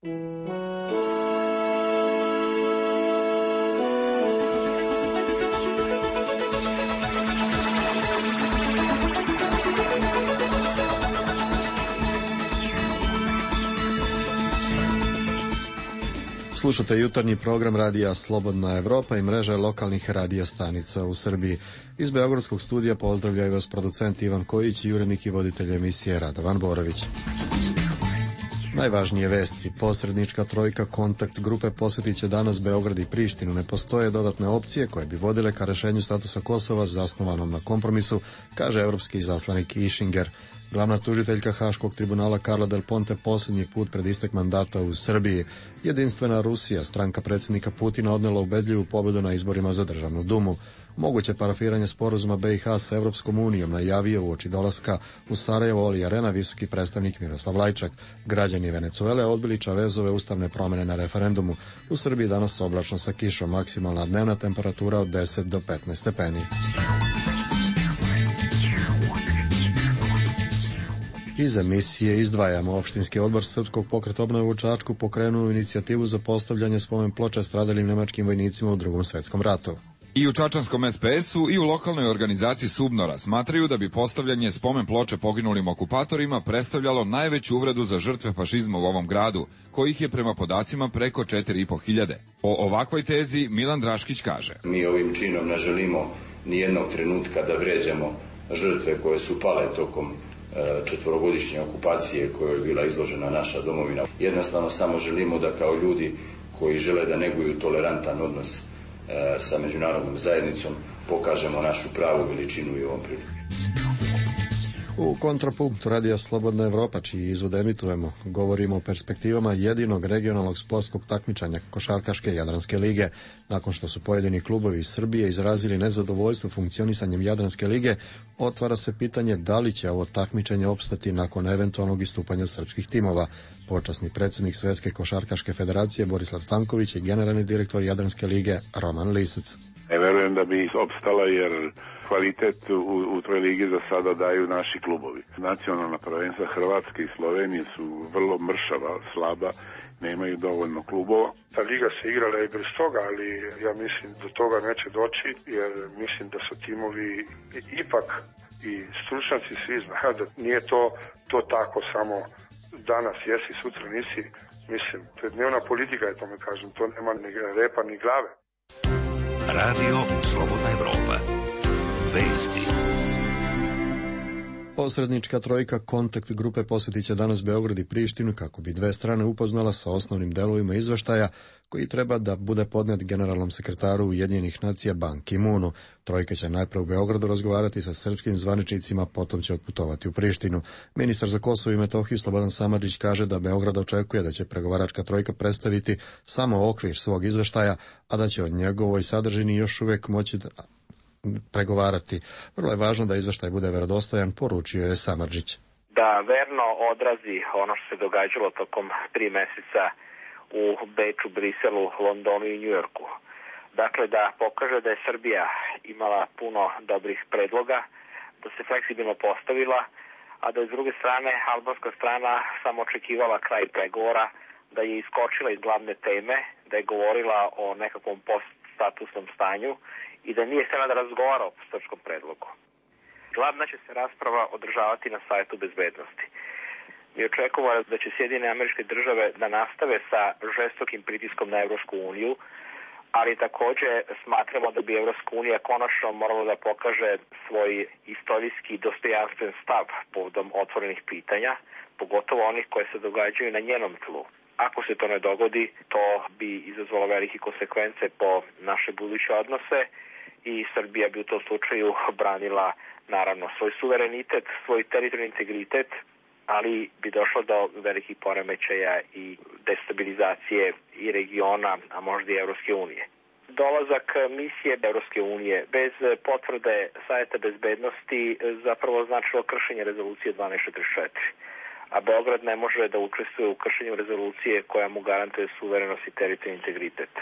Slušate jutarnji program radija Slobodna Evropa i mreža lokalnih radija stanica u Srbiji. Iz Beogradskog studija pozdravljaju vas producent Ivan Kojić i urednik i voditelj emisije Radovan Borović. Najvažnije vesti. Posrednička trojka kontakt grupe posjetit će danas Beograd i Prištinu. Ne postoje dodatne opcije koje bi vodile ka rešenju statusa Kosova zasnovanom na kompromisu, kaže evropski izaslanik Ischinger. Glavna tužiteljka Haškog tribunala Carla Del Ponte posljednji put pred istek mandata u Srbiji. Jedinstvena Rusija, stranka predsjednika Putina, odnela ubedljivu pobedu na izborima za državnu dumu. Moguće parafiranje sporazuma BiH sa Evropskom unijom najavio uoči dolaska u Sarajevo Oli Arena visoki predstavnik Miroslav Lajčak. Građani Venecuele odbili Čavezove ustavne promjene na referendumu. U Srbiji danas oblačno sa kišom, maksimalna dnevna temperatura od 10 do 15 stepeni. Iz emisije izdvajamo. Opštinski odbor Srpskog pokreta obnove u Čačku pokrenuo inicijativu za postavljanje spomen ploča stradalim nemačkim vojnicima u Drugom svjetskom ratu. I u čačanskom SPS-u i u lokalnoj organizaciji Subnora smatraju da bi postavljanje spomen ploče poginulim okupatorima predstavljalo najveću uvredu za žrtve fašizma u ovom gradu, kojih je prema podacima preko 4.500. O ovakvoj tezi Milan Draškić kaže: Mi ovim činom ne želimo ni jednog trenutka da vređamo žrtve koje su pale tokom četvorogodišnje okupacije kojoj je bila izložena naša domovina. Jednostavno samo želimo da kao ljudi koji žele da neguju tolerantan odnos sa međunarodnom zajednicom pokažemo našu pravu veličinu i ovom priliku. U kontrapunktu radija Slobodna Evropa, čiji izvod emitujemo, govorimo o perspektivama jedinog regionalnog sportskog takmičenja Košarkaške Jadranske lige. Nakon što su pojedini klubovi iz Srbije izrazili nezadovoljstvo funkcionisanjem Jadranske lige, otvara se pitanje da li će ovo takmičenje opstati nakon eventualnog istupanja srpskih timova. Počasni predsjednik Svetske košarkaške federacije Borislav Stanković i generalni direktor Jadranske lige Roman Lisac. Verujem da bi opstala jer kvalitet u toj ligi za sada daju naši klubovi. Nacionalna prvenstva Hrvatske i Slovenije su vrlo mršava, slaba, nemaju dovoljno klubova. Ta liga se igrala i bez toga, ali ja mislim da toga neće doći, jer mislim da su timovi ipak i stručnjaci svi znaju da nije to tako samo danas jesi, sutra nisi. Mislim, to je dnevna politika, je tome kažem, to nema ni repa ni glave. Radio Slobodna Evropa. Vesti. Posrednička trojka kontakt grupe posjetit će danas Beograd i Prištinu kako bi dve strane upoznala sa osnovnim delovima izveštaja koji treba da bude podnet generalnom sekretaru Ujedinjenih nacija Ban Ki-moonu. Trojka će najprve u Beogradu razgovarati sa srpskim zvaničnicima, potom će otputovati u Prištinu. Ministar za Kosovo i Metohiju Slobodan Samardžić kaže da Beograd očekuje da će pregovaračka trojka predstaviti samo okvir svog izveštaja, a da će o njegovoj sadržini još uvijek moći pregovarati. Vrlo je važno da izveštaj bude verodostojan, poručio je Samardžić. Da verno odrazi ono što se događalo tokom 3 meseca u Beču, Briselu, Londonu i Njujorku. Dakle, da pokaže da je Srbija imala puno dobrih predloga, da se fleksibilno postavila, a da je s druge strane albanska strana samo očekivala kraj pregovora, da je iskočila iz glavne teme, da je govorila o nekakvom poststatusnom stanju i da nije htjela da razgovara o srpskom predlogu. Glavna će se rasprava održavati na Savetu bezbednosti. Mi očekujemo da će Sjedinjene Američke Države da nastave sa žestokim pritiskom na Evropsku uniju, ali također smatramo da bi Evropska unija konačno morala da pokaže svoj istorijski dostojanstven stav povodom otvorenih pitanja, pogotovo onih koje se događaju na njenom tlu. Ako se to ne dogodi, to bi izazvalo velike konsekvence po naše buduće odnose i Srbija bi u tom slučaju branila naravno svoj suverenitet, svoj teritorijalni integritet, ali bi došlo do velikih poremećaja i destabilizacije i regiona, a možda i Evropske unije. Dolazak misije Evropske unije bez potvrde Saveta bezbednosti zapravo značilo kršenje rezolucije 1244. A Beograd ne može da učestvuje u kršenju rezolucije koja mu garantuje suverenost i teritorijalni integritet.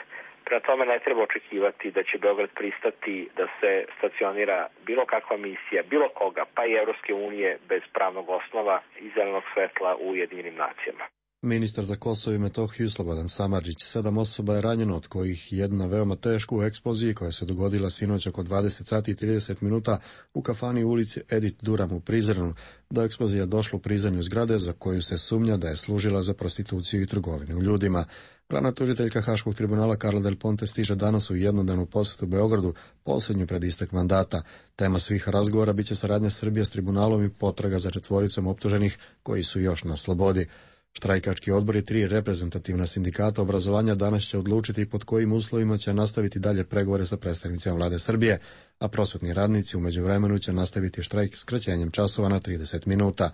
Prema tome ne treba očekivati da će Beograd pristati da se stacionira bilo kakva misija, bilo koga, pa i Evropske unije bez pravnog osnova i zelenog svetla u Ujedinjenim nacijama. Ministar za Kosovo i Metohiju Slobodan Samardžić. 7 osoba je ranjeno, od kojih jedna veoma teško u eksploziji koja se dogodila sinoć oko 20 sati i 30 minuta u kafani u ulici Edith Duram u Prizrenu. Do eksplozija došlo u prizemlju zgrade za koju se sumnja da je služila za prostituciju i trgovinu ljudima. Glavna tužiteljka Haškog tribunala Carla Del Ponte stiže danas u jednodnevnu posjetu Beogradu, posljednju pred istek mandata. Tema svih razgovora biće saradnja Srbije s tribunalom i potraga za 4 optuženih koji su još na slobodi. Štrajkački odbor i 3 reprezentativna sindikata obrazovanja danas će odlučiti pod kojim uslovima će nastaviti dalje pregovore sa predstavnicima vlade Srbije, a prosvetni radnici u međuvremenu će nastaviti štrajk skraćenjem časova na 30 minuta.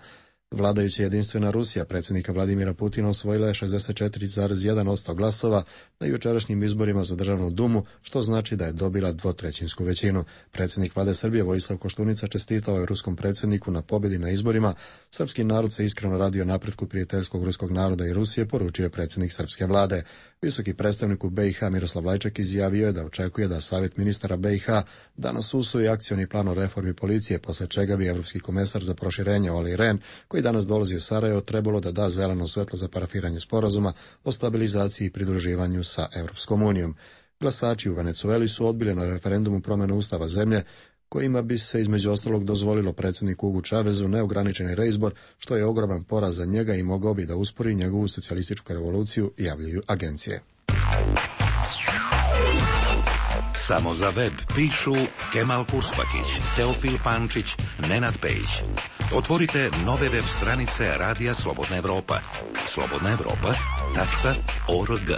Vladajuća Jedinstvena Rusija predsjednika Vladimira Putina osvojila je 64,1% glasova na jučerašnjim izborima za Državnu dumu, što znači da je dobila 2/3 većinu. Predsjednik vlade Srbije Vojislav Koštunica čestitao je ruskom predsjedniku na pobjedi na izborima. Srpski narod se iskreno radi o napretku prijateljskog ruskog naroda i Rusije, poručio je predsjednik srpske vlade. Visoki predstavnik u BiH Miroslav Lajčak izjavio je da očekuje da Savjet ministara BiH danas usvoji akcioni plan o reformi policije, posle čega bi evropski komesar za proširenje Olli Rehn, koji danas dolazi u Sarajevo, trebalo da da zeleno svetlo za parafiranje sporazuma o stabilizaciji i pridruživanju sa Evropskom unijom. Glasači u Venecueli su odbili na referendumu promjenu ustava zemlje, kojima bi se između ostalog dozvolilo predsjedniku Hugu Chavezu neograničeni reizbor, što je ogroman poraz za njega i mogao bi da uspori njegovu socijalističku revoluciju, javljaju agencije. Samo za web pišu Kemal Kurspakić, Teofil Pančić, Nenad Pejić. Otvorite nove web stranice Radija Slobodna Evropa. slobodnaevropa.org.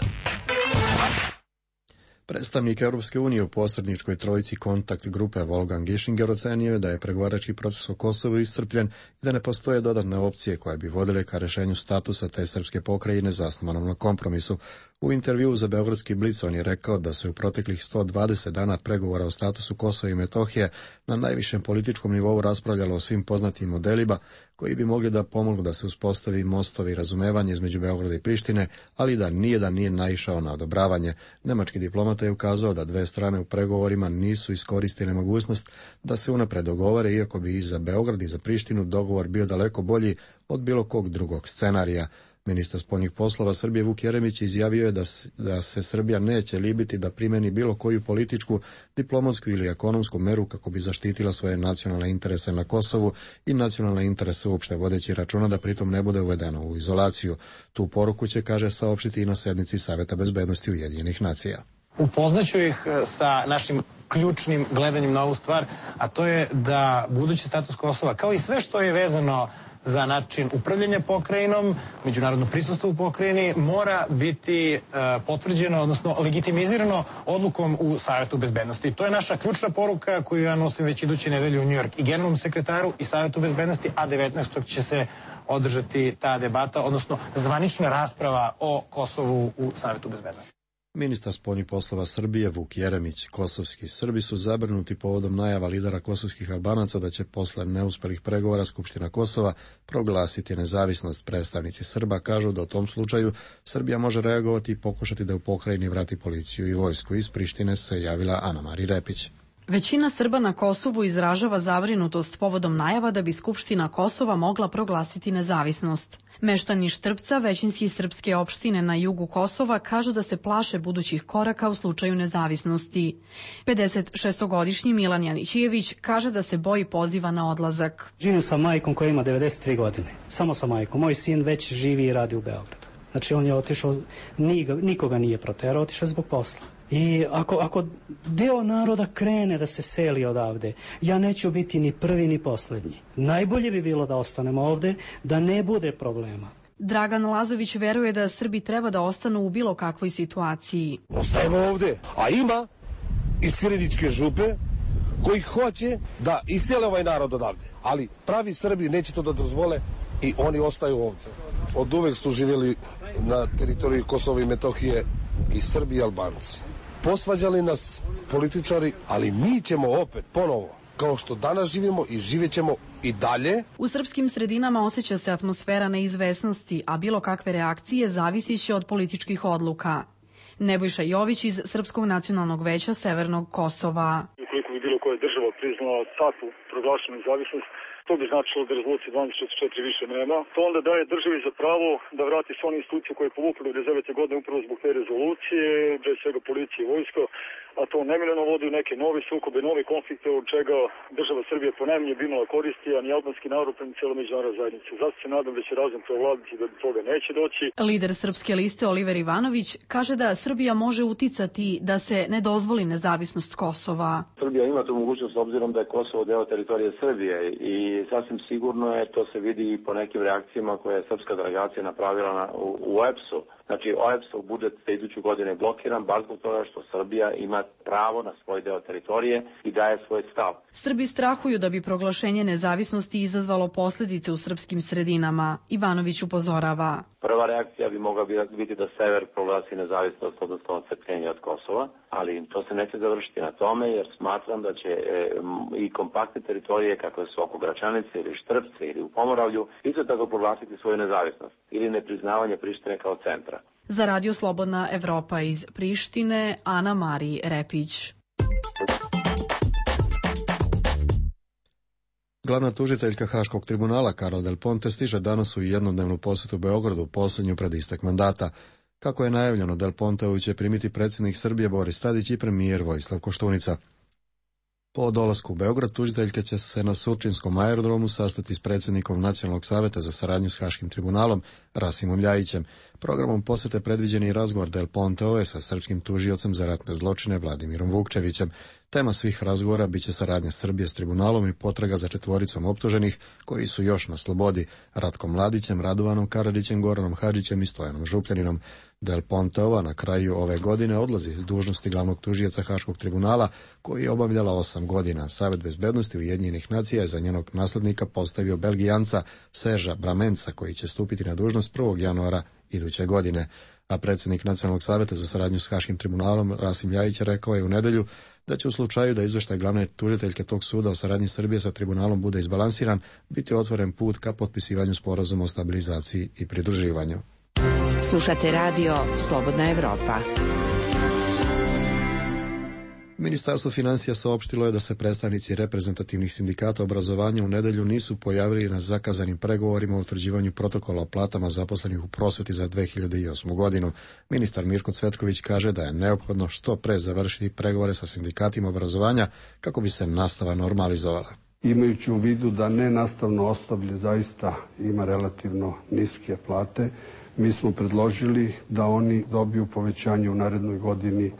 Predstavnik Europske unije u posredničkoj trojici kontakt grupe Wolfgang Ischinger ocenio je da je pregovarački proces o Kosovu iscrpljen i da ne postoje dodatne opcije koje bi vodile ka rešenju statusa te srpske pokrajine zasnovanom na kompromisu. U intervjuu za Beogradski Blic on je rekao da se u proteklih 120 dana pregovora o statusu Kosova i Metohije na najvišem političkom nivou raspravljalo o svim poznatim modelima koji bi mogli da pomognu da se uspostavi mostovi razumevanja između Beograda i Prištine, ali da nijedan nije naišao na odobravanje. Nemački diplomata je ukazao da 2 strane u pregovorima nisu iskoristile mogućnost da se unapred dogovore, iako bi i za Beograd i za Prištinu dogovor bio daleko bolji od bilo kog drugog scenarija. Ministar spoljnih poslova Srbije Vuk Jeremić izjavio je da se Srbija neće libiti da primeni bilo koju političku, diplomatsku ili ekonomsku meru kako bi zaštitila svoje nacionalne interese na Kosovu i nacionalne interese uopšte, vodeći računa da pritom ne bude uvedeno u izolaciju. Tu poruku će, kaže, saopštiti i na sednici Saveta bezbednosti Ujedinjenih nacija. Upoznaću ih sa našim ključnim gledanjem na ovu stvar, a to je da budući status Kosova, kao i sve što je vezano za način upravljanja pokrajinom, međunarodno prisustvo u pokrajini, mora biti potvrđeno, odnosno legitimizirano odlukom u Savetu bezbednosti. To je naša ključna poruka koju ja nosim već iduće nedelje u New York i generalnom sekretaru i Savetu bezbednosti, a 19. će se održati ta debata, odnosno zvanična rasprava o Kosovu u Savetu bezbednosti. Ministar spoljnih poslova Srbije Vuk Jeremić. Kosovski Srbi su zabrinuti povodom najava lidera kosovskih Albanaca da će posle neuspelih pregovora Skupština Kosova proglasiti nezavisnost. Predstavnici Srba kažu da u tom slučaju Srbija može reagovati i pokušati da u pokrajini vrati policiju i vojsku. Iz Prištine se javila Ana Mari Repić. Većina Srba na Kosovu izražava zabrinutost povodom najava da bi Skupština Kosova mogla proglasiti nezavisnost. Meštani Štrpca, većinski srpske opštine na jugu Kosova, kažu da se plaše budućih koraka u slučaju nezavisnosti. 56-godišnji Milan Janićijević kaže da se boji poziva na odlazak. Živim sa majkom koja ima 93 godine. Samo sa majkom. Moj sin već živi i radi u Beogradu. Znači on je otišao, nikoga nije proterao, otišao zbog posla. I ako deo naroda krene da se seli odavde, ja neću biti ni prvi ni poslednji. Najbolje bi bilo da ostanemo ovde, da ne bude problema. Dragan Lazović veruje da Srbi treba da ostanu u bilo kakvoj situaciji. Ostajemo ovde, a ima iz Sireničke župe koji hoće da isele ovaj narod odavde. Ali pravi Srbi neće to da dozvole i oni ostaju ovde. Od uvek su živjeli na teritoriji Kosova i Metohije i Srbi i Albanci. Posvađali nas političari, ali mi ćemo opet ponovo, kao što danas živimo i živjet ćemo i dalje. U srpskim sredinama osjeća se atmosfera neizvesnosti, a bilo kakve reakcije zavisit će od političkih odluka. Nebojša Jović iz Srpskog nacionalnog veća Severnog Kosova. Ukoliko bi bilo koja država priznala takvu proglašenu nezavisnost, To bi značilo da rezolucije 1244 više nema. To onda daje državi za pravo da vrati sve one institucije koje je povuklo 1999. godine upravo zbog te rezolucije, pre svega policije i vojska, a to nemiljeno vodi u neke nove sukobe, nove konflikte, od čega država Srbija ponajmanje bi imala koristi, a ni albanski narod, pa ni cijela međunarodna zajednica. Zato se nadam da će razum prevladati da do toga neće doći. Lider Srpske liste Oliver Ivanović kaže da Srbija može uticati da se ne dozvoli nezavisnost Kosova. Srbija ima tu mogućnost obzirom da je Kosovo deo teritorije Srbije i sasvim sigurno je, to se vidi i po nekim reakcijama koje je srpska delegacija napravila u OEBS-u. Znači, OEBS-ov budžet za iduću godinu je blokiran baš zbog toga što Srbija ima pravo na svoj deo teritorije i daje svoj stav. Srbi strahuju da bi proglašenje nezavisnosti izazvalo posljedice u srpskim sredinama. Ivanović upozorava. Prva reakcija bi mogla biti da sever proglasi nezavisnost, odnosno odcepljenje od Kosova, ali to se neće završiti na tome, jer smatram da će i kompaktne teritorije kakve su oko Gračanice ili Štrpce ili u Pomoravlju isto tako proglasiti svoju nezavisnost ili nepriznavanje Prištine kao centra. Za Radio Slobodna Evropa iz Prištine, Ana Marij Repić. Glavna tužiteljka Haškog tribunala Carla Del Ponte stiže danas u jednodnevnu posjetu Beogradu, posljednju pred istek mandata. Kako je najavljeno, Del Ponteovu će primiti predsjednik Srbije Boris Tadić i premijer Vojislav Koštunica. Po dolasku u Beograd, tužiteljka će se na Surčinskom aerodromu sastati s predsjednikom Nacionalnog saveta za saradnju s Haškim tribunalom Rasimom Ljajićem. Programom posjete predviđen i razgovor Del Ponteove sa srpskim tužiocem za ratne zločine Vladimirom Vukčevićem. Tema svih razgovora biće saradnja Srbije s tribunalom i potraga za četvoricom optuženih koji su još na slobodi, Ratkom Mladićem, Radovanom Karadžićem, Goranom Hadžićem i Stojanom Župljaninom. Del Ponteova na kraju ove godine odlazi s dužnosti glavnog tužioca Haškog tribunala, koji je obavljala 8 godina. Savet bezbednosti Ujedinjenih nacija je za njenog naslednika postavio Belgijanca Serža Bramenca, koji će stupiti na dužnost 1. januara iduće godine. A predsjednik Nacionalnog saveta za saradnju s Haškim tribunalom Rasim Ljajić rekao je u nedjelju da će u slučaju da izvještaj glavne tužiteljke tog suda o saradnji Srbije sa tribunalom bude izbalansiran, biti otvoren put ka potpisivanju sporazuma o stabilizaciji i pridruživanju. Slušate radio Slobodna Evropa. Ministarstvo financija saopštilo je da se predstavnici reprezentativnih sindikata obrazovanja u nedjelju nisu pojavili na zakazanim pregovorima o utvrđivanju protokola o platama zaposlenih u prosvjeti za 2008. godinu. Ministar Mirko Cvetković kaže da je neophodno što pre završiti pregovore sa sindikatima obrazovanja kako bi se nastava normalizovala. Imajući u vidu da nenastavno osoblje zaista ima relativno niske plate, mi smo predložili da oni dobiju povećanje u narednoj godini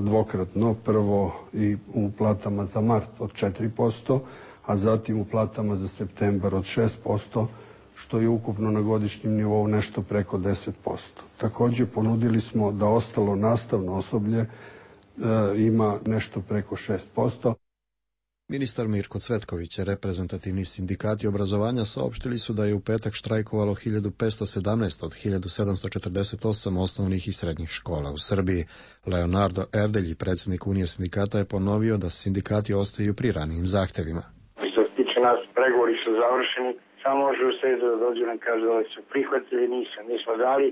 dvokratno, prvo i u platama za mart od 4%, a zatim u platama za septembar od 6%, što je ukupno na godišnjem nivou nešto preko 10%. Također ponudili smo da ostalo nastavno osoblje ima nešto preko 6%. Ministar Mirko Cvetković, reprezentativni sindikati obrazovanja saopštili su da je u petak štrajkovalo 1517 od 1748 osnovnih i srednjih škola u Srbiji. Leonardo Erdelji, predsjednik Unije sindikata, je ponovio da sindikati ostaju pri ranijim zahtjevima. Što se tiče nas, pregovori su završeni, samo može u sredu da dođu nam kaže da li su prihvatili, mi smo dali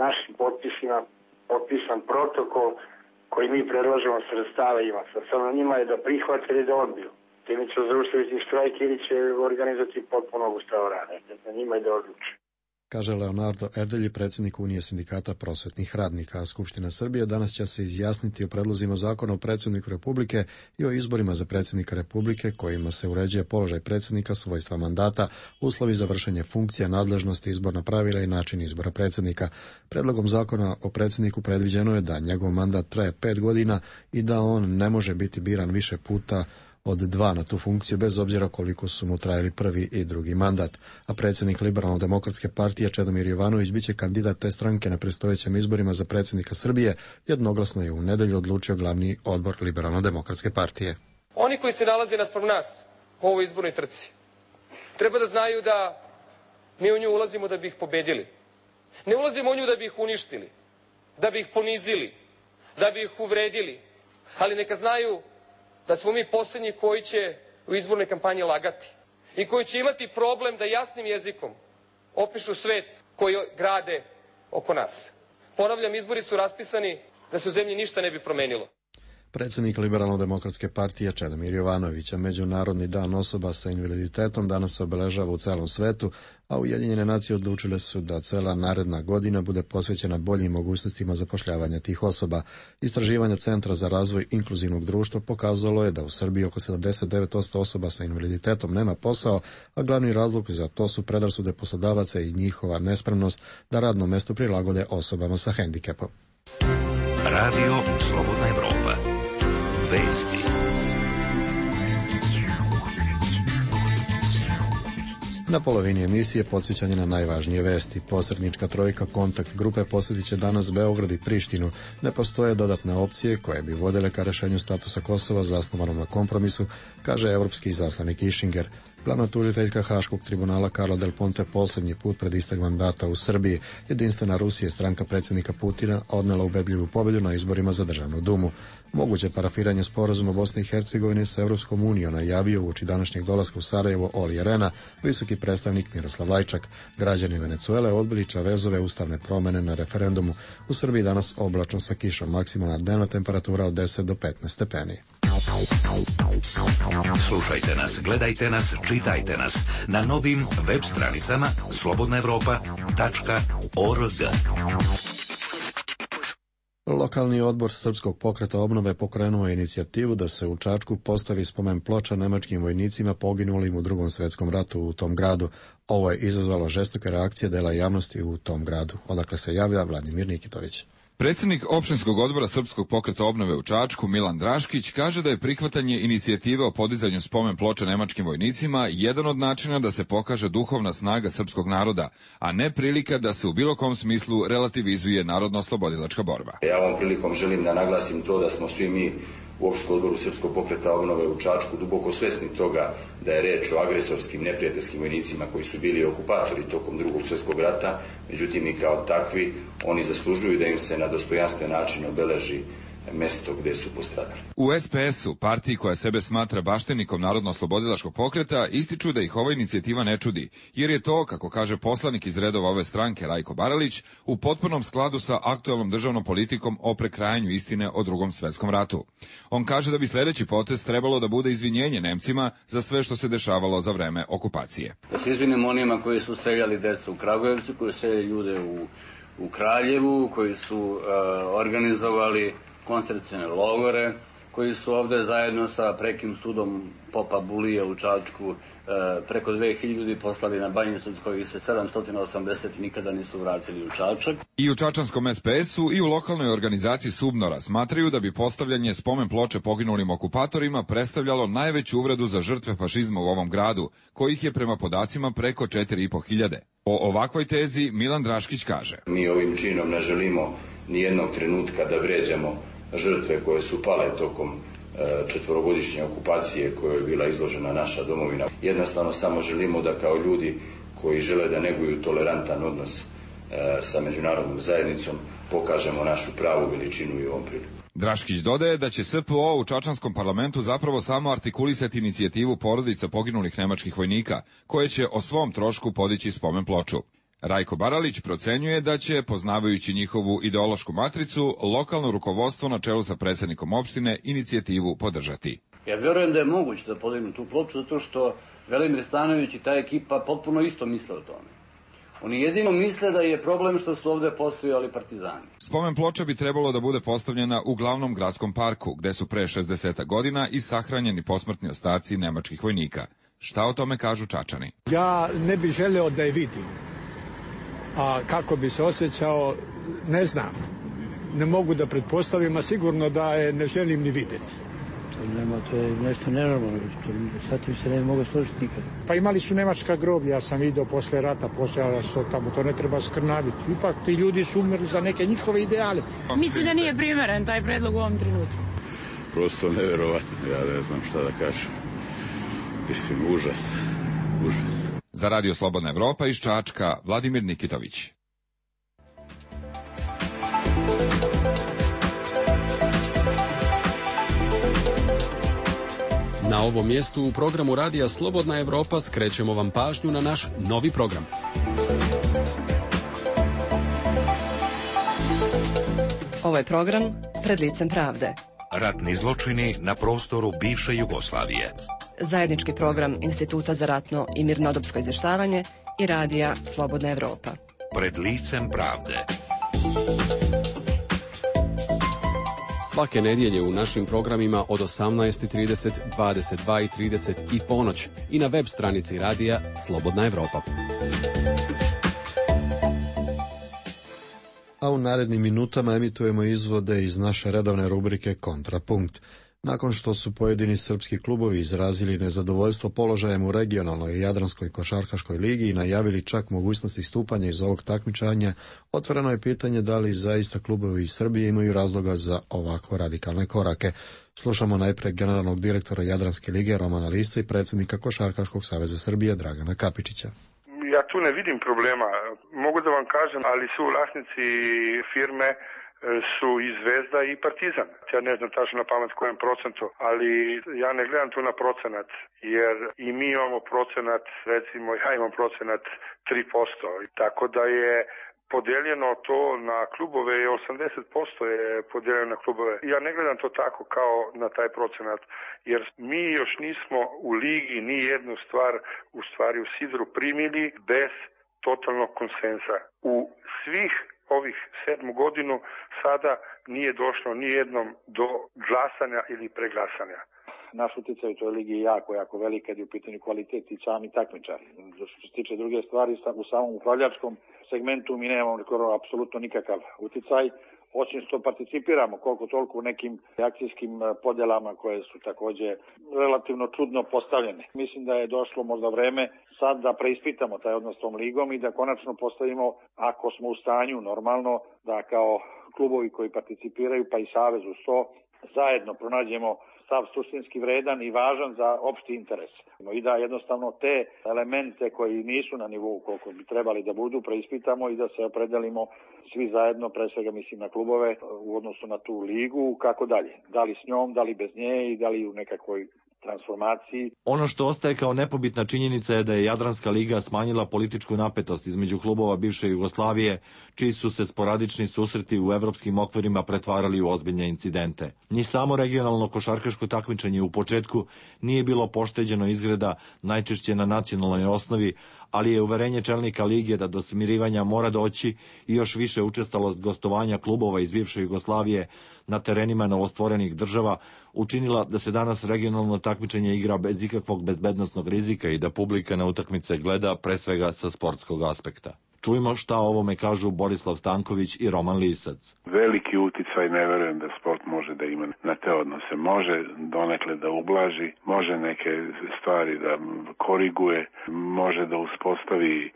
našim potpisima potpisan protokol koji mi predlažemo sredstava ima. Sad samo njima je da prihvate ili da odbiju. Time će zaustaviti štrajk ili će organizati potpuno obustavu rada. Na njima je da odluče. Kaže Leonardo Erdelji, predsjednik Unije sindikata prosvetnih radnika. Skupština Srbije danas će se izjasniti o predlozima zakona o predsjedniku Republike i o izborima za predsjednika Republike, kojima se uređuje položaj predsjednika, svojstva mandata, uslovi za vršenje funkcija, nadležnosti, izborna pravila i način izbora predsjednika. Predlogom zakona o predsjedniku predviđeno je da njegov mandat traje 5 godina i da on ne može biti biran više puta od 2 na tu funkciju, bez obzira koliko su mu trajali prvi i drugi mandat. A predsjednik Liberalno-demokratske partije Čedomir Jovanović biće kandidat te stranke na predstojećim izborima za predsjednika Srbije, jednoglasno je u nedjelju odlučio glavni odbor Liberalno-demokratske partije. Oni koji se nalaze naspram nas u ovoj izbornoj trci treba da znaju da mi u nju ulazimo da bi ih pobedili. Ne ulazimo u nju da bi ih uništili, da bi ih ponizili, da bi ih uvredili, ali neka znaju da smo mi posljednji koji će u izbornoj kampanji lagati i koji će imati problem da jasnim jezikom opišu svet koji grade oko nas. Ponavljam, izbori su raspisani da se u zemlji ništa ne bi promenilo. Predsjednik Liberalno-demokratske partije Čedomir Jovanović, Međunarodni dan osoba sa invaliditetom danas se obeležava u celom svetu, a Ujedinjene nacije odlučile su da cela naredna godina bude posvećena boljim mogućnostima zapošljavanja tih osoba. Istraživanje Centra za razvoj inkluzivnog društva pokazalo je da u Srbiji oko 79% osoba sa invaliditetom nema posao, a glavni razlog za to su predrasude poslodavaca i njihova nespremnost da radno mesto prilagode osobama sa hendikepom. Radio Slobodna Evropa. Vesti. Na polovini emisije podsjećanje na najvažnije vesti. Posrednička trojka Kontakt grupe posjetit će danas Beograd i Prištinu. Ne postoje dodatne opcije koje bi vodile ka rešenju statusa Kosova zasnovanom na kompromisu, kaže evropski izaslanik Ischinger. Glavna tužiteljka Haškog tribunala Carla Del Ponte posljednji put pred istek mandata u Srbiji. Jedinstvena Rusija, stranka predsjednika Putina, odnela ubedljivu pobjedu na izborima za državnu dumu. Moguće parafiranje sporazuma Bosne i Hercegovine sa Europskom unijom najavio uoči današnjeg dolaska u Sarajevo Olli Rehn, visoki predstavnik Miroslav Lajčak. Građani Venecuele odbili Čavezove ustavne promene na referendumu. U Srbiji danas oblačno sa kišom, maksimalna dnevna temperatura od 10 do 15 stepeni. Slušajte nas, gledajte nas, čitajte nas na novim web stranicama slobodnaevropa.org. Lokalni odbor Srpskog pokreta obnove pokrenuo je inicijativu da se u Čačku postavi spomen ploča nemačkim vojnicima poginulim u Drugom svjetskom ratu u tom gradu. Ovo je izazvalo žestoke reakcije dela javnosti u tom gradu. Odakle se javlja Vladimir Nikitović. Predsjednik opštinskog odbora Srpskog pokreta obnove u Čačku, Milan Draškić, kaže da je prihvatanje inicijative o podizanju spomen ploča nemačkim vojnicima jedan od načina da se pokaže duhovna snaga srpskog naroda, a ne prilika da se u bilo kom smislu relativizuje narodno-oslobodilačka borba. Ja ovom prilikom želim da naglasim to da smo svi mi u opštinskom odboru Srpskog pokreta obnove u Čačku duboko svesni toga da je reč o agresorskim neprijateljskim vojnicima koji su bili okupatori tokom Drugog svjetskog rata, međutim i kao takvi oni zaslužuju da im se na dostojanstven način obeleži mesto gde su postradali. U SPS-u, partiji koja sebe smatra baštenikom narodno-oslobodilačkog pokreta, ističu da ih ova inicijativa ne čudi, jer je to, kako kaže poslanik iz redova ove stranke Rajko Baralić, u potpunom skladu sa aktuelnom državnom politikom o prekrajanju istine o Drugom svjetskom ratu. On kaže da bi sljedeći potez trebalo da bude izvinjenje Nemcima za sve što se dešavalo za vreme okupacije. Da se izvinimo onima koji su streljali decu u Kragujevcu, koji su streljali ljude u Kraljevu, koji su organizovali koncentracione logore, koji su ovde zajedno sa prekim sudom Popa Bulije u Čačku preko 2000 ljudi poslali na Banjicu, koji se 780 nikada nisu vratili u Čačak. I u čačanskom SPS-u i u lokalnoj organizaciji Subnora smatraju da bi postavljanje spomen ploče poginulim okupatorima predstavljalo najveću uvredu za žrtve fašizma u ovom gradu, kojih je prema podacima preko 4500. O ovakvoj tezi Milan Draškić kaže: Mi ovim činom ne želimo ni jednog trenutka da vređamo žrtve koje su pale tokom četvorogodišnje okupacije koje je bila izložena naša domovina. Jednostavno samo želimo da kao ljudi koji žele da neguju tolerantan odnos sa međunarodnom zajednicom pokažemo našu pravu veličinu i ovom priliku. Draškić dodaje da će SPO u čačanskom parlamentu zapravo samo artikulisati inicijativu porodica poginulih nemačkih vojnika, koje će o svom trošku podići spomen ploču. Rajko Baralić procenjuje da će, poznavajući njihovu ideološku matricu, lokalno rukovodstvo na čelu sa predsjednikom opštine inicijativu podržati. Ja vjerujem da je moguće da podignu tu ploču zato što Velimir Stanojević i ta ekipa potpuno isto misle o tome. Oni jedino misle da je problem što su ovde postojali partizani. Spomen ploča bi trebalo da bude postavljena u glavnom gradskom parku, gde su pre 60 godina i sahranjeni posmrtni ostaci nemačkih vojnika. Šta o tome kažu Čačani? Ja ne bih želeo da je vidim. A kako bi se osjećao, ne znam. Ne mogu da pretpostavim, a sigurno da je ne želim ni videti. To je nešto nenormalno. Sa tim se ne mogu složiti nikad. Pa imali su nemačka groblja, ja sam vidio posle rata, postojala su tamo, to ne treba skrnaviti. Ipak ti ljudi su umrli za neke njihove ideale. Mislim da nije primeren taj predlog u ovom trenutku. Prosto neverovatno, ja ne znam šta da kažem. Mislim, užas. Za Radio Slobodna Evropa iz Čačka, Vladimir Nikitović. Na ovom mjestu u programu Radija Slobodna Evropa skrećemo vam pažnju na naš novi program. Ovo je program Pred licem pravde. Ratni zločini na prostoru bivše Jugoslavije. Zajednički program Instituta za ratno i mirnodopsko izvještavanje i radija Slobodna Evropa. Pred licem pravde. Svake nedjelje u našim programima od 18:30, 22:30 i ponoć i na web stranici radija Slobodna Evropa. A u narednim minutama emitujemo izvode iz naše redovne rubrike Kontrapunkt. Nakon što su pojedini srpski klubovi izrazili nezadovoljstvo položajem u regionalnoj i jadranskoj košarkaškoj ligi i najavili čak mogućnost istupanja iz ovog takmičenja, otvoreno je pitanje da li zaista klubovi iz Srbije imaju razloga za ovako radikalne korake. Slušamo najprej generalnog direktora Jadranske lige Romana Lisca i predsjednika Košarkaškog saveza Srbije Dragana Kapičića. Ja tu ne vidim problema. Mogu da vam kažem, ali su vlasnici firme su i Zvezda i Partizan. Ja ne znam tačno na pamet kojem procentu, ali ja ne gledam tu na procenat, jer i mi imamo procenat, recimo ja imam procenat 3%, tako da je podeljeno to na klubove, 80% je podeljeno na klubove. Ja ne gledam to tako kao na taj procenat, jer mi još nismo u ligi ni jednu stvar, u stvari u sidru primili bez totalnog konsensa. U svih ovih 7 godinu sada nije došlo ni jednom do glasanja ili preglasanja. Naš utjecaj u toj ligi je jako velik kad je u pitanju kvalitet i sami takmičari. Što se tiče druge stvari, u samom upravljačkom segmentu mi nemamo apsolutno nikakav utjecaj, osim što participiramo koliko toliko u nekim akcijskim podjelama koje su također relativno čudno postavljene. Mislim da je došlo možda vreme sad da preispitamo taj odnos s tom ligom i da konačno postavimo, ako smo u stanju normalno, da kao klubovi koji participiraju pa i savez uz to zajedno pronađemo stav suštinski vredan i važan za opšti interes. I da jednostavno te elemente koji nisu na nivou koliko bi trebali da budu, preispitamo i da se opredelimo svi zajedno, pre svega mislim na klubove, u odnosu na tu ligu, kako dalje. Da li s njom, da li bez nje i da li u nekakvoj transformaciji. Ono što ostaje kao nepobitna činjenica je da je Jadranska liga smanjila političku napetost između klubova bivše Jugoslavije, čiji su se sporadični susreti u evropskim okvirima pretvarali u ozbiljne incidente. Ni samo regionalno košarkaško takmičenje u početku nije bilo pošteđeno izgreda, najčešće na nacionalnoj osnovi, ali je uverenje čelnika lige da do smirivanja mora doći i još više učestalost gostovanja klubova iz bivše Jugoslavije na terenima novostvorenih država učinila da se danas regionalno takmičenje igra bez ikakvog bezbednosnog rizika i da publika na utakmice gleda pre svega sa sportskog aspekta. Čujmo šta o ovome kažu Borislav Stanković i Roman Lisac. Veliki uticaj ne verujem da sport može da ima na te odnose. Može donekle da ublaži, može neke stvari da koriguje, može da uspostavi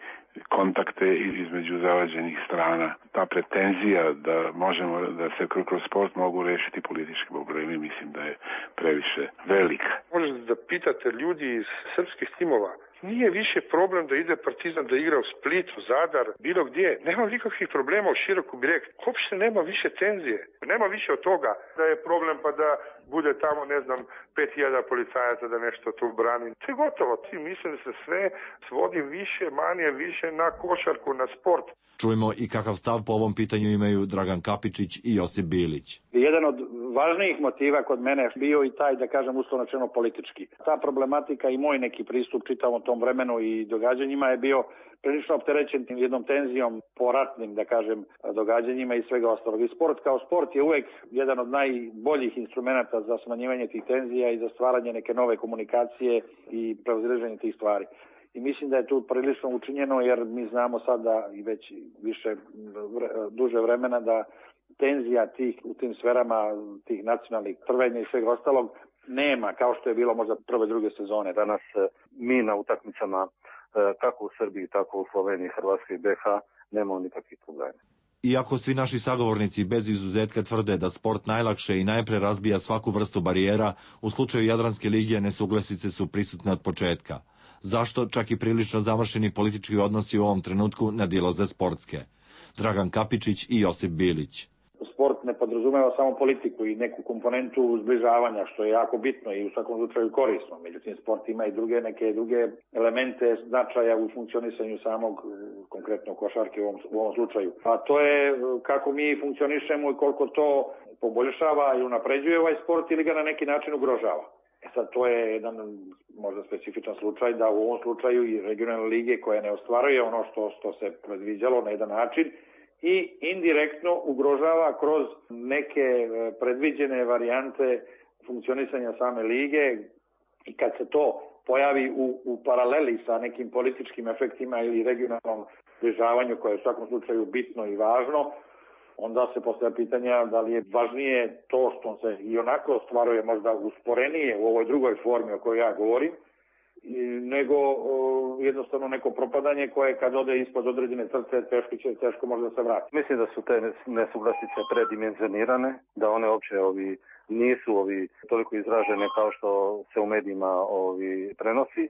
kontakte između zavađenih strana. Ta pretenzija da možemo da se kroz sport mogu rešiti politički problemi, mislim da je previše velika. Možete da pitate ljudi iz srpskih timova, nije više problem da ide Partizan da igra u Splitu, Zadar, bilo gdje. Nema nikakvih problema u Široku Brijeg. Uopšte nema više tenzije. Nema više od toga da je problem pa da bude tamo, 5.000 policajaca da nešto tu brani. To je gotovo. Mislim da se sve svodi više, manje, više na košarku, na sport. Čujemo i kakav stav po ovom pitanju imaju Dragan Kapičić i Josip Bilić. Jedan od važnijih motiva kod mene bio i taj, da kažem, uslovno rečeno politički. Ta problematika i moj neki pristup čitavom tom vremenu i događanjima je bio prilično opterećen jednom tenzijom po ratnim, da kažem, događanjima i svega ostalog. I sport kao sport je uvek jedan od najboljih instrumenta za smanjivanje tih tenzija i za stvaranje neke nove komunikacije i prevazilaženje tih stvari. I mislim da je tu prilično učinjeno, jer mi znamo sada i već duže vremena da tenzija u tim sferama tih nacionalnih prvenja i svega ostalog nema, kao što je bilo možda prve, druge sezone. Danas mi na utakmicama kako u Srbiji, tako u Sloveniji, Hrvatskoj i BiH nemamo nikakvih problema. Iako svi naši sagovornici bez izuzetka tvrde da sport najlakše i najpre razbija svaku vrstu barijera, u slučaju Jadranske lige nesuglasice su prisutne od početka. Zašto čak i prilično završeni politički odnosi u ovom trenutku nadilaze sportske? Dragan Kapičić i Josip Bilić. Sport ne podrazumeva samo politiku i neku komponentu zbližavanja, što je jako bitno i u svakom slučaju korisno. Međutim, sport ima i neke druge elemente značaja u funkcionisanju samog, konkretno košarke u ovom slučaju. A to je kako mi funkcionišemo i koliko to poboljšava i unapređuje ovaj sport ili ga na neki način ugrožava. Sad to je jedan možda specifičan slučaj da u ovom slučaju i regionalne lige koja ne ostvaruje ono što se predviđalo na jedan način i indirektno ugrožava kroz neke predviđene varijante funkcionisanja same lige i kad se to pojavi u paraleli sa nekim političkim efektima ili regionalnom zbližavanju koje je u svakom slučaju bitno i važno, onda se postavlja pitanja da li je važnije to što se i onako ostvaruje možda usporenije u ovoj drugoj formi o kojoj ja govorim, nego jednostavno neko propadanje koje kad ode ispod određene crte teško može da se vrati. Mislim da su te nesuglasice predimenzionirane, da one uopće nisu toliko izražene kao što se u medijima prenosi,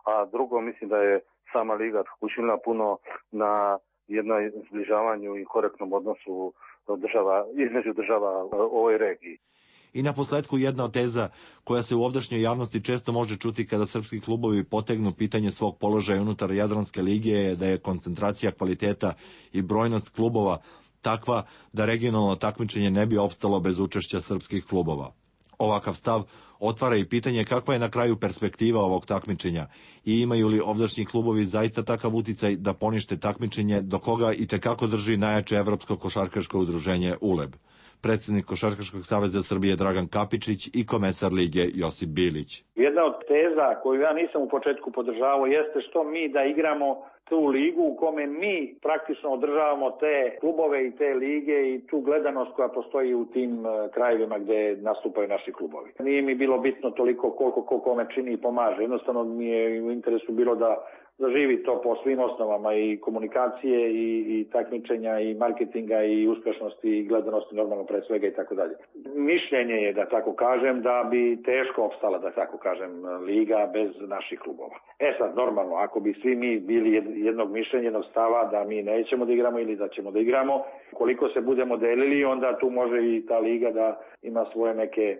a drugo mislim da je sama liga učinila puno na jednom zbližavanju i korektnom odnosu između država u ovoj regiji. I na posledku jedna od teza koja se u ovdašnjoj javnosti često može čuti kada srpski klubovi potegnu pitanje svog položaja unutar Jadranske lige je da je koncentracija kvaliteta i brojnost klubova takva da regionalno takmičenje ne bi opstalo bez učešća srpskih klubova. Ovakav stav otvara i pitanje kakva je na kraju perspektiva ovog takmičenja i imaju li ovdašnji klubovi zaista takav uticaj da ponište takmičenje do koga i tekako drži najjače Evropsko košarkaško udruženje ULEB. Predsjednik Košarkaškog saveza Srbije Dragan Kapičić i komesar lige Josip Bilić. Jedna od teza koju ja nisam u početku podržavao jeste što mi da igramo tu ligu u kome mi praktično održavamo te klubove i te lige i tu gledanost koja postoji u tim krajevima gde nastupaju naši klubovi. Nije mi bilo bitno toliko koliko kome čini i pomaže. Jednostavno mi je u interesu bilo da zaživi to po svim osnovama i komunikacije i takmičenja i marketinga i uspešnosti i gledanosti normalno pre svega i tako dalje. Mišljenje je, da tako kažem, da bi teško opstala, da tako kažem, liga bez naših klubova. Sad, normalno, ako bi svi mi bili jednog mišljenja, jednog stava da mi nećemo da igramo ili da ćemo da igramo, koliko se budemo delili, onda tu može i ta liga da ima svoje neke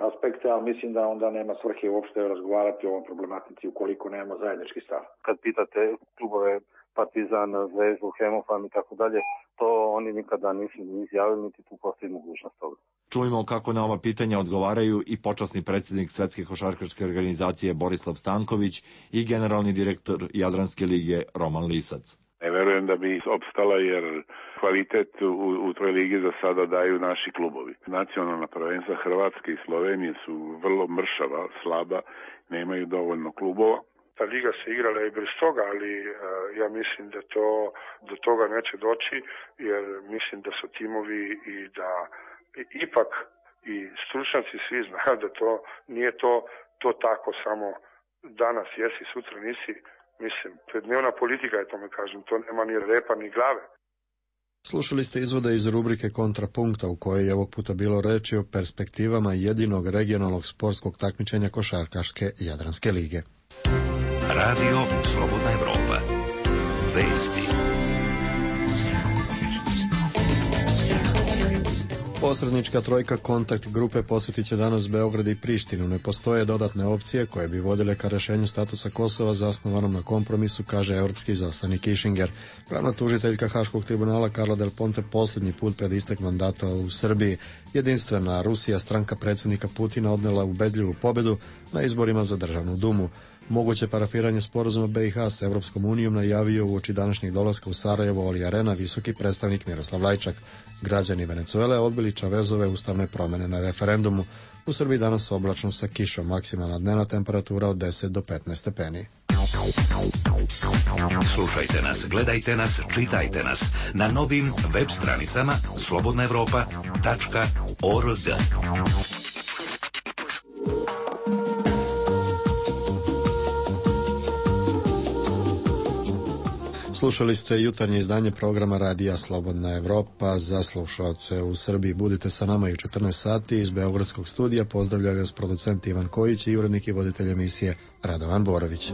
aspekte, ali mislim da onda nema svrhe uopšte razgovarati o ovom problematici ukoliko nemamo zajednički stav. Kad pitate klubove Partizan, Zvezdu, Hemofan i tako dalje, to oni nikada nisu izjavili, niti tu postoji mogućnost toga. Čujemo kako na ova pitanja odgovaraju i počasni predsjednik Svetske košarkaške organizacije Borislav Stanković i generalni direktor Jadranske lige Roman Lisac. Ne verujem da bi opstala jer kvalitet u toj ligi za sada daju naši klubovi. Nacionalna prvenstva Hrvatske i Slovenije su vrlo mršava, slaba, nemaju dovoljno klubova. Ta liga se igrala i bez toga, ali ja mislim da do toga neće doći, jer mislim da su timovi i da ipak i stručnjaci svi znaju da to nije to tako samo danas jesi, sutra nisi. Mislim, dnevna politika je tome kažem, to nema ni repa ni glave. Slušali ste izvode iz rubrike Kontrapunkta u kojoj je ovog puta bilo reči o perspektivama jedinog regionalnog sportskog takmičenja Košarkaške Jadranske lige. Radio Slobodna Evropa. Vesti. Posrednička trojka Kontakt grupe posjetit će danas Beograd i Prištinu. Ne postoje dodatne opcije koje bi vodile ka rešenju statusa Kosova zasnovanom na kompromisu, kaže evropski izaslanik Kišinger. Glavna tužiteljka Haškog tribunala Karla Del Ponte posljednji put pred istek mandata u Srbiji. Jedinstvena Rusija, stranka predsjednika Putina, odnela ubedljivu pobedu na izborima za državnu dumu. Moguće parafiranje sporazuma BiH s Evropskom unijom najavio uoči današnjeg dolaska u Sarajevo Oli Arena visoki predstavnik Miroslav Lajčak. Građani Venecuele odbili Čavezove ustavne promjene na referendumu. U Srbiji danas oblačno sa kišom, maksimalna dnevna temperatura od 10 do 15 stepeni. Slušajte nas, gledajte nas, čitajte nas na novim web stranicama slobodnaevropa.org. Slušali ste jutarnje izdanje programa Radija Slobodna Evropa za slušalce u Srbiji. Budite sa nama i u 14 sati iz Beogradskog studija. Pozdravljaju vas producent Ivan Kojić i urednik i voditelj emisije Radovan Borović.